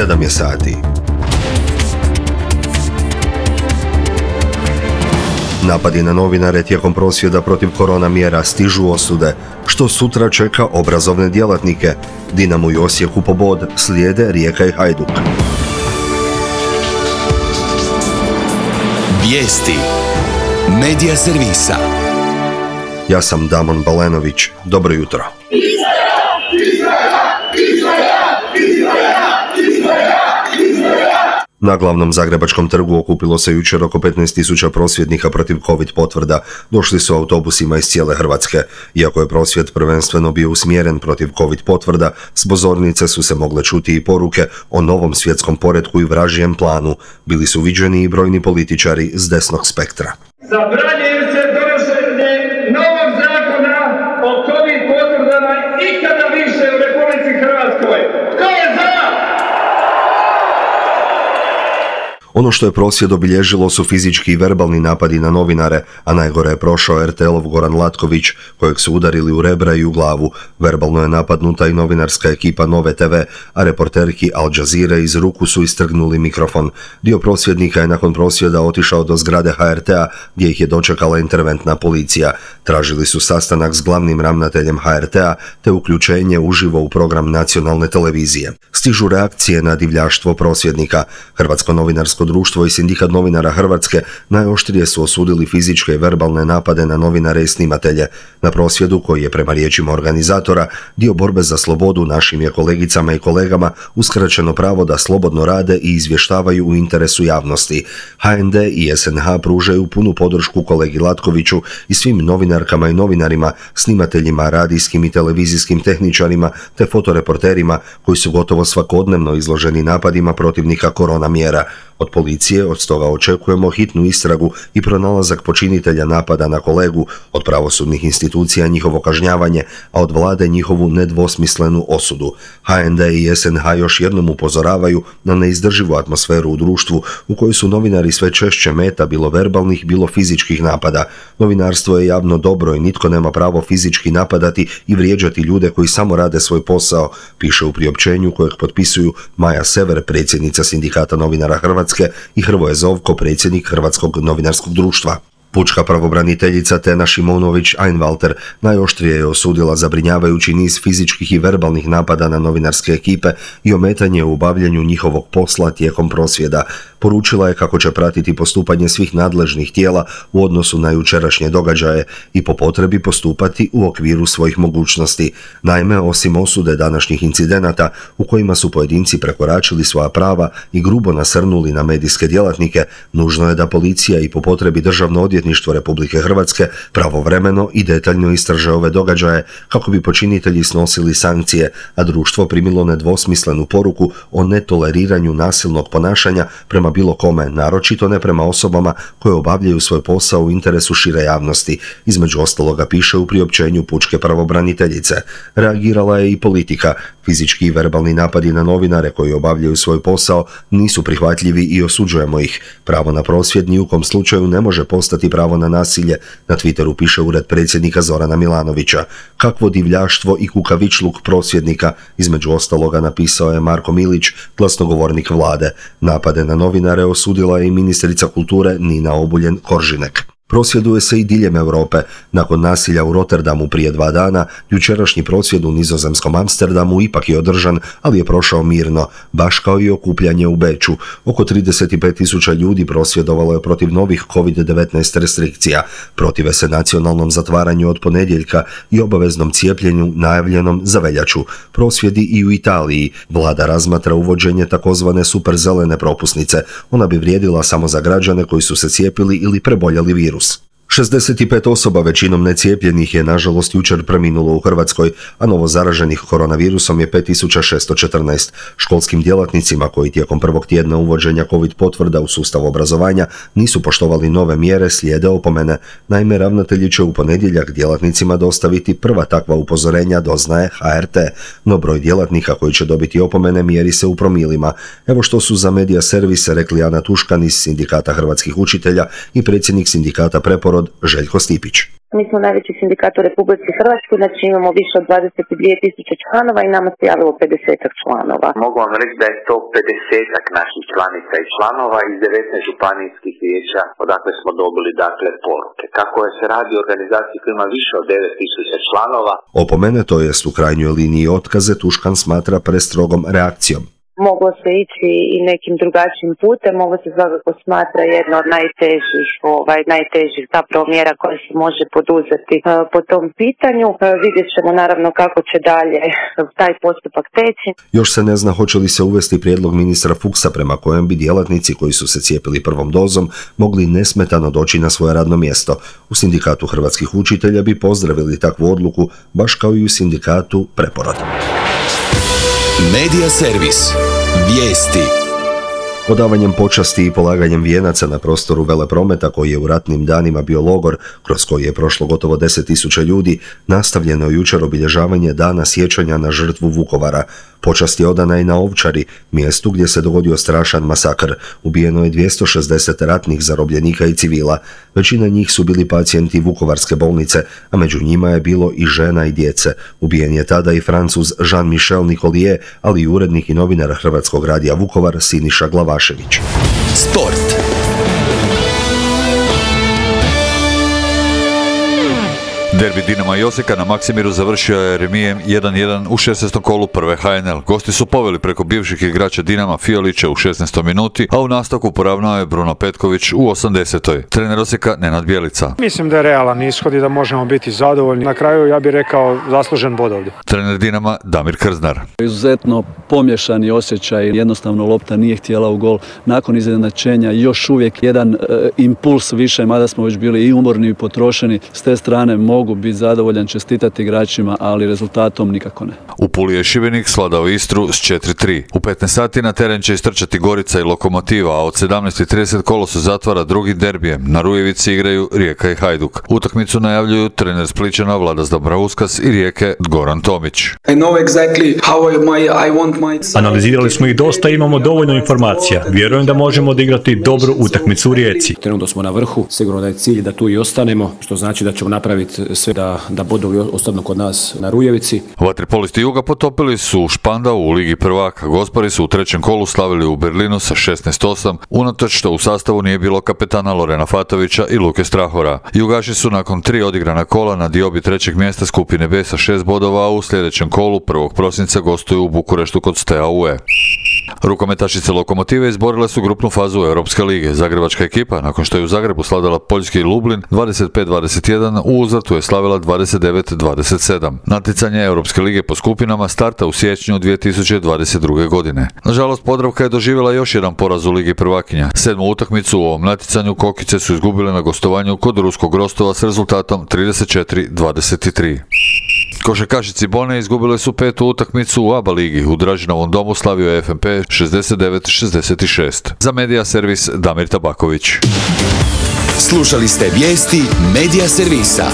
7 je sati. Napadi na novinare tijekom prosvjeda protiv korona mjera stižu osude, što sutra čeka obrazovne djelatnike. Dinamo i Osijeku po bod, slijede Rijeka i Hajduk. Vijesti Medija servisa. Ja sam Damon Balenović. Dobro jutro. Na glavnom zagrebačkom trgu okupilo se jučer oko 15.000 prosvjednika protiv COVID potvrda. Došli su autobusima iz cijele Hrvatske. Iako je prosvjed prvenstveno bio usmjeren protiv COVID potvrda, s pozornice su se mogle čuti i poruke o novom svjetskom poretku i vražijem planu. Bili su viđeni i brojni političari s desnog spektra. Zabranjuje se donošenje novog zakona o COVID potvrdama ikada više u Republici Hrvatskoj. Tko je za? Ono što je prosvjed obilježilo su fizički i verbalni napadi na novinare, a najgore je prošao RTL-ov Goran Latković, kojeg su udarili u rebra i u glavu. Verbalno je napadnuta i novinarska ekipa Nove TV, a reporterki Al Jazeere iz ruku su istrgnuli mikrofon. Dio prosvjednika je nakon prosvjeda otišao do zgrade HRT-a, gdje ih je dočekala interventna policija. Tražili su sastanak s glavnim ravnateljem HRT-a, te uključenje uživo u program nacionalne televizije. Stižu reakcije na divljaštvo prosvjednika. Hrvatsko novinarsko društvo i Sindikat novinara Hrvatske najoštrije su osudili fizičke i verbalne napade na novinare i snimatelje. Na prosvjedu, koji je prema riječima organizatora dio borbe za slobodu, našim je kolegicama i kolegama uskraćeno pravo da slobodno rade i izvještavaju u interesu javnosti. HND i SNH pružaju punu podršku kolegi Latkoviću i svim novinarkama i novinarima, snimateljima, radijskim i televizijskim tehničarima te fotoreporterima koji su gotovo svakodnevno izloženi napadima protivnika korona mjera. Od policije od stoga očekujemo hitnu istragu i pronalazak počinitelja napada na kolegu, od pravosudnih institucija njihovo kažnjavanje, a od vlade njihovu nedvosmislenu osudu. HND i SNH još jednom upozoravaju na neizdrživu atmosferu u društvu u kojoj su novinari sve češće meta bilo verbalnih, bilo fizičkih napada. Novinarstvo je javno dobro i nitko nema pravo fizički napadati i vrijeđati ljude koji samo rade svoj posao, piše u priopćenju kojeg potpisuju Maja Sever, predsjednica Sindikata novinara Hrvatske, i Hrvoje Zovko, predsjednik Hrvatskog novinarskog društva. Pučka pravobraniteljica Tena Šimonović-Einwalter najoštrije je osudila zabrinjavajući niz fizičkih i verbalnih napada na novinarske ekipe i ometanje u obavljanju njihovog posla tijekom prosvjeda. Poručila je kako će pratiti postupanje svih nadležnih tijela u odnosu na jučerašnje događaje i po potrebi postupati u okviru svojih mogućnosti. Naime, osim osude današnjih incidenata u kojima su pojedinci prekoračili svoja prava i grubo nasrnuli na medijske djelatnike, nužno je da policija i po potrebi Državno odvjetništvo Republike Hrvatske pravovremeno i detaljno istraže ove događaje kako bi počinitelji snosili sankcije, a društvo primilo nedvosmislenu poruku o netoleriranju nasilnog ponašanja prema bilo kome, naročito ne prema osobama koje obavljaju svoj posao u interesu šire javnosti. Između ostaloga piše u priopćenju pučke pravobraniteljice. Reagirala je i politika. Fizički i verbalni napadi na novinare koji obavljaju svoj posao nisu prihvatljivi i osuđujemo ih. Pravo na prosvjed ni u kom slučaju ne može postati pravo na nasilje, na Twitteru piše ured predsjednika Zorana Milanovića. Kakvo divljaštvo i kukavičluk prosvjednika, između ostaloga napisao je Marko Milić, glasnogovornik vlade. Napade na novinare osudila je i ministrica kulture Nina Obuljen-Koržinek. Prosvjeduje se i diljem Europe. Nakon nasilja u Rotterdamu prije 2 dana, jučerašnji prosvjed u nizozemskom Amsterdamu ipak je održan, ali je prošao mirno, baš kao i okupljanje u Beču. Oko 35.000 ljudi prosvjedovalo je protiv novih COVID-19 restrikcija. Protive se nacionalnom zatvaranju od ponedjeljka i obaveznom cijepljenju najavljenom za veljaču. Prosvjedi i u Italiji. Vlada razmatra uvođenje takozvane superzelene propusnice. Ona bi vrijedila samo za građane koji su se cijepili ili preboljeli virus. 65 osoba, većinom necijepljenih, je nažalost jučer preminulo u Hrvatskoj, a novo zaraženih koronavirusom je 5614. Školskim djelatnicima koji tijekom prvog tjedna uvođenja COVID potvrda u sustav obrazovanja nisu poštovali nove mjere slijede opomene. Naime, ravnatelji će u ponedjeljak djelatnicima dostaviti prva takva upozorenja, doznaje HRT. No broj djelatnika koji će dobiti opomene mjeri se u promilima. Evo što su za Medija servise rekli Ana Tuškan iz Sindikata hrvatskih učitelja i predsjednik Sindikata Preporod Željko Stipić. Mi smo najveći sindikat u Republici Hrvatskoj, znači imamo više od 22.000 članova i nama se javilo 50 članova. Mogu vam reći da je to 50 naših članica i članova iz 19 županijskih vijeća, odakle smo dobili poruke. Kako se radi o organizaciji koja ima više od 9.000 članova. Opomene, to jest u krajnjoj liniji otkaze, Tuškan smatra prestrogom reakcijom. Moglo se ići i nekim drugačijim putem, ovo se svakako smatra jedna od najtežih zapravo mjera koja se može poduzeti po tom pitanju. Vidjet ćemo naravno kako će dalje taj postupak teći. Još se ne zna hoće li se uvesti prijedlog ministra Fuchsa prema kojem bi djelatnici koji su se cijepili prvom dozom mogli nesmetano doći na svoje radno mjesto. U sindikatu hrvatskih učitelja bi pozdravili takvu odluku, baš kao i u sindikatu Preporod. Medija servis. Vijesti. Odavanjem počasti i polaganjem vijenaca na prostoru Veleprometa, koji je u ratnim danima bio logor, kroz koji je prošlo gotovo 10.000 ljudi, nastavljeno je jučer obilježavanje Dana sjećanja na žrtvu Vukovara. Počast je odana i na Ovčari, mjestu gdje se dogodio strašan masakr. Ubijeno je 260 ratnih zarobljenika i civila. Većina njih su bili pacijenti Vukovarske bolnice, a među njima je bilo i žena i djece. Ubijen je tada i Francuz Jean-Michel Nicolier, ali i urednik i novinar Hrvatskog radija Vukovar Siniša Glavašević. Sport. Derbi Dinama i Osijeka na Maksimiru završio je remijem 1-1 u 16. kolu prve HNL. Gosti su poveli preko bivših igrača Dinama Fiolića u 16. minuti, a u nastavku poravnao je Bruno Petković u 80. Trener Osijeka Nenad Bjelica. Mislim da je realan ishod i da možemo biti zadovoljni. Na kraju ja bih rekao zaslužen bod ovdje. Trener Dinama Damir Krznar. Izuzetno pomješani osjećaj, jednostavno lopta nije htjela u gol. Nakon iznenačenja još uvijek jedan impuls više, mada smo već bili i umorni i potrošeni. S te strane mogu biti zadovoljan, čestitati igračima, ali rezultatom nikako ne. U Puli je Šibenik svladao Istru s 4-3. U 15 sati na teren će istrčati Gorica i Lokomotiva, a od 17:30 kolosu zatvara drugi derbijem. Na Rujevici igraju Rijeka i Hajduk. Utakmicu najavljuju trener Splićana Vladas Dobrauskas i Rijeke Goran Tomić. Analizirali smo ih dosta i imamo dovoljno informacija. Vjerujem da možemo odigrati dobru utakmicu u Rijeci. Trenutno smo na vrhu, sigurno da je cilj da tu i ostanemo, što znači da ćemo napraviti sve da bodovi ostanu kod nas na Rujevici. Vaterpolisti Juga potopili su Špandau u Ligi prvaka. Gospari su u trećem kolu slavili u Berlinu sa 16-8, unatoč što u sastavu nije bilo kapetana Lorena Fatovića i Luke Strahora. Jugaši su nakon 3 odigrana kola na diobi trećeg mjesta skupine B sa 6 bodova, a u sljedećem kolu 1. prosinca gostuju u Bukureštu kod Steaue. Rukometašice Lokomotive izborile su grupnu fazu Europske lige. Zagrebačka ekipa, nakon što je u Zagrebu slavila poljski Lublin 25-21, u uzvratu je slavila 29-27. Natjecanje Europske lige po skupinama starta u siječnju 2022. godine. Nažalost, Podravka je doživjela još jedan poraz u Ligi prvakinja. 7. utakmicu u ovom natjecanju Kokice su izgubile na gostovanju kod ruskog Rostova s rezultatom 34-23. Košarkašici Bone izgubile su 5. utakmicu u ABA ligi. U Dražinovom domu slavio je FNP 69-66. Za Medija servis Damir Tabaković. Slušali ste vijesti Medija servisa.